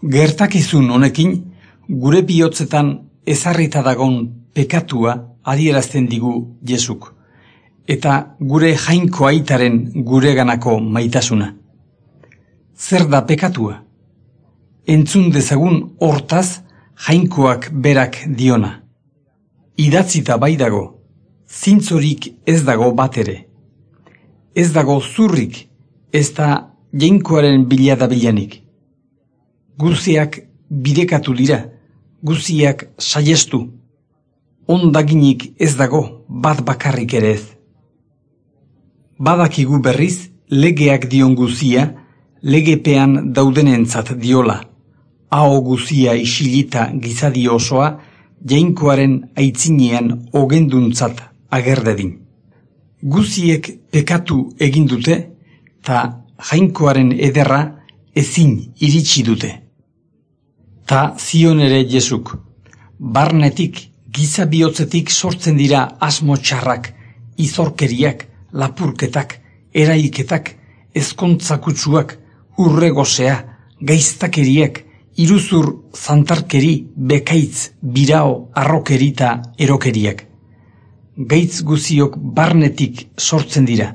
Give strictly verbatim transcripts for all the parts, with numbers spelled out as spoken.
Gertakizun honekin, gure bihotzetan ezarrita dagon pekatua adierazten digu Jesuk, eta gure jainko aitaren gureganako maitasuna. Zer da pekatua? Entzun dezagun hortaz jainkoak berak diona. Idatzita bai dago, zintzorik ez dago bat ere. Ez dago zurrik, ez da jainkoaren biladabilanik. Guziak bidekatu dira, guziak saiestu. Ondaginik ez dago bat bakarrik ere ez. Badakigu berriz legeak dion guzia, legepean daudenentzat diola. Aho guzia isilita gizadi osoa, jainkoaren aitzinean ogenduntzat agerdedin. Guziek pekatu egin dute, ta jainkoaren ederra ezin iritsi dute. Ta zion ere Jesuk, barnetik, giza bihotzetik sortzen dira asmo txarrak, izorkeriak, lapurketak, eraiketak, ezkontzakutsuak, urregosea, gaiztakeriak, iruzur zantarkeri, bekaitz, birao, arrokerita, erokeriak. Gaitz guziok barnetik sortzen dira,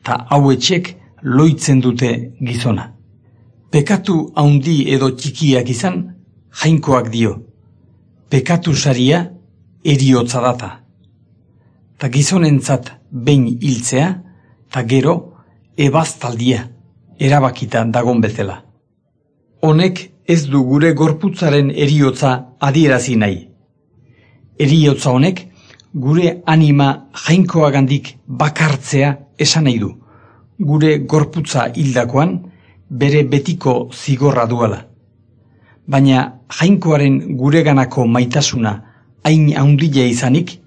ta hauetxek loitzen dute gizona. Pekatu haundi edo txikiak izan, jainkoak dio. Pekatu saria eriotza data. Ta gizonentzat behin hiltzea, ta gero ebaztaldia, erabakita dagon bezala. Honek ez du gure gorputzaren eriotza adierazi nahi. Eriotza honek gure anima jainkoagandik bakartzea esan nahi du, gure gorputza hildakoan bere betiko zigorra duela. Baina jainkoaren gureganako maitasuna hain haundila izanik,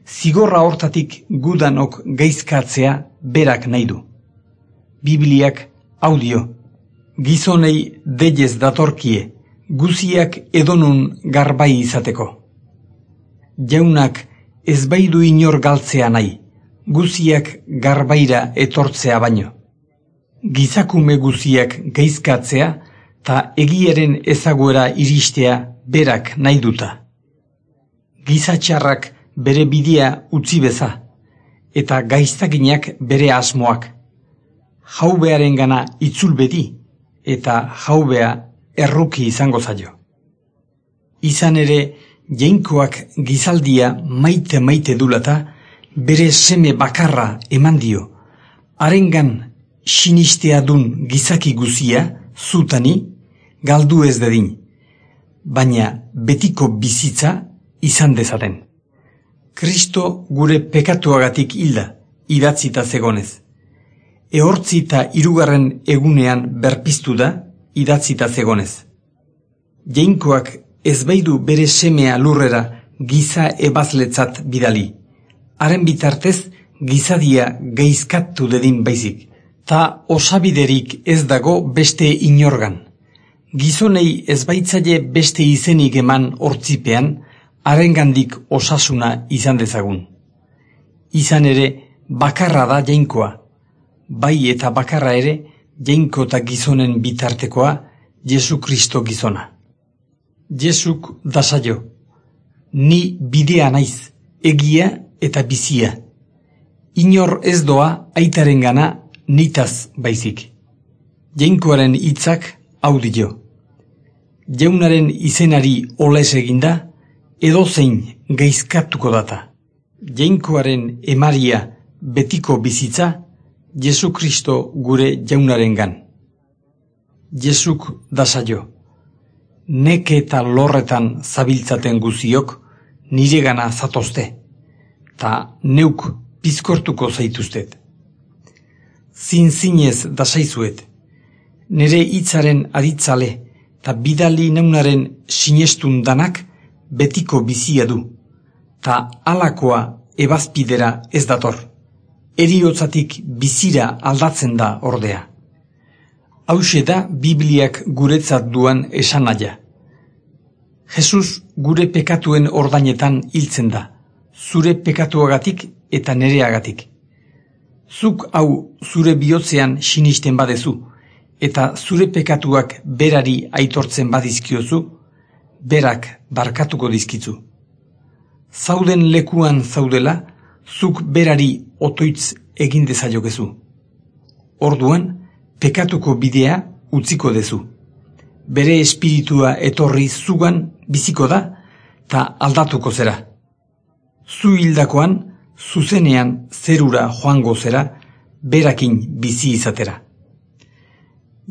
zigorra hortatik gudanok gaizkatzea berak nahi du. Bibliak hau dio, gizonei deiez datorkie, guziak edonun garbai izateko. Jaunak ez baidu inor galtzea nahi, guziak garbaira etortzea baino. Gizakume guziak gaizkatzea ta egiaren ezaguera iristea berak nahi duta. Gizatxarrak bere bidea utzi beza, eta gaiztaginak bere asmoak. Jaubearen gana itzul bedi, eta jaubea erruki izango zaio. Izan ere, jainkoak gizaldia maite maite dulata, bere seme bakarra eman dio, harengan sinistea dun gizaki guzia, zutani, galdu ez dedin, baina betiko bizitza izan dezaten. Kristo gure pekatuagatik hilda, idatzita zegonez. Ehortzita hirugarren egunean berpiztu da, idatzita zegonez. Jainkoak ez baidu bere semea lurrera giza ebazletzat bidali. Haren bitartez gizadia gaizkatu dedin baizik. Ta osabiderik ez dago beste inorgan. Gizonei ez baitzaile beste izenik eman hortzipean, harengandik osasuna izan dezagun. Izan ere, bakarra da jainkoa. Bai eta bakarra ere, jainko eta gizonen bitartekoa, Jesu Kristo gizona. Jesuk da saio. Ni bidea naiz, egia eta bizia. Inor ez doa aitarengana nitaz baizik. Jainkoaren hitzak hau dio. Jaunaren izenari oles eginda, edozein gaizkatuko data. Jainkoaren emaria betiko bizitza, Jesu Kristo gure jaunarengan. Jesuk da saio. Neke eta lorretan zabiltzaten guziok niregana zatozte, ta neuk pizkortuko zaituztet. Zin-zinez dasaizuet, nere hitzaren aditzale ta bidali neunaren sinestun danak betiko bizia du, ta alakoa ebazpidera ez dator, eriotzatik bizira aldatzen da ordea. Hauxe da Bibliak guretzat duan esanaia. Jesus gure pekatuen ordainetan hiltzen da, zure pekatuagatik eta nereagatik. Zuk hau zure bihotzean sinisten badezu, eta zure pekatuak berari aitortzen badizkiozu, berak barkatuko dizkitzu. Zauden lekuan zaudela, zuk berari otoitz egin dezaiokezu. Orduan, pekatuko bidea utziko dezu. Bere espiritua etorri zugan biziko da, ta aldatuko zera. Zu hildakoan, zuzenean zerura joango zera, berakin bizi izatera.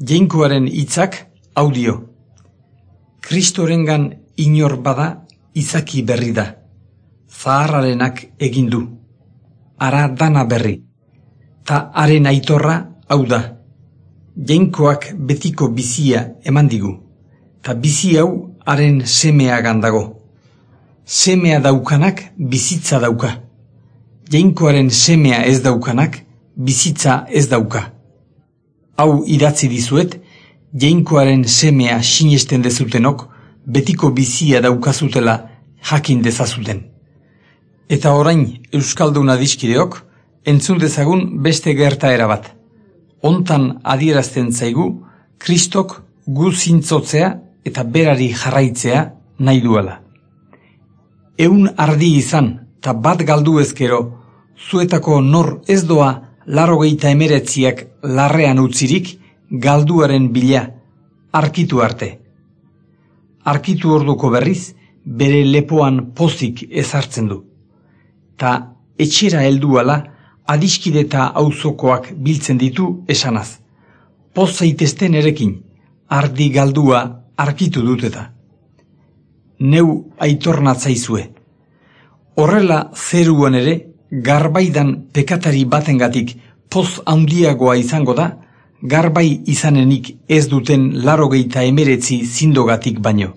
Jainkoaren hitzak audio. Kristorengan inor bada izaki berri da. Zaharrarenak egin du. Ara dana berri. Ta haren aitorra hau da. Jainkoak betiko bizia eman digu. Ta bizi hau haren semeagan dago. Semea daukanak bizitza dauka. Jainkoaren semea ez daukanak bizitza ez dauka. Hau idatzi dizuet, jainkoaren semea sinesten dezutenok betiko bizia daukazutela jakin dezazuten. Eta orain euskalduna diskideok, entzun dezagun beste gertaera bat. Hontan adierazten zaigu, Kristok gu zintzotzea eta berari jarraitzea nahi duela. Eun ardi izan, ta bat galdu ezkero, zuetako nor ez doa larogeita emeretziak larrean utzirik galduaren bila, arkitu arte. Arkitu orduko berriz, bere lepoan pozik ezartzen du. Ta etxera helduala, adiskide eta auzokoak biltzen ditu esanaz. Poz zaitezten erekin, ardi galdua arkitu duteta. Neu aitornatzaizue. Horrela zeruan ere, garbaidan pekatari batengatik poz handiagoa izango da, garbai izanenik ez duten larogeita emeretzi zindogatik baino.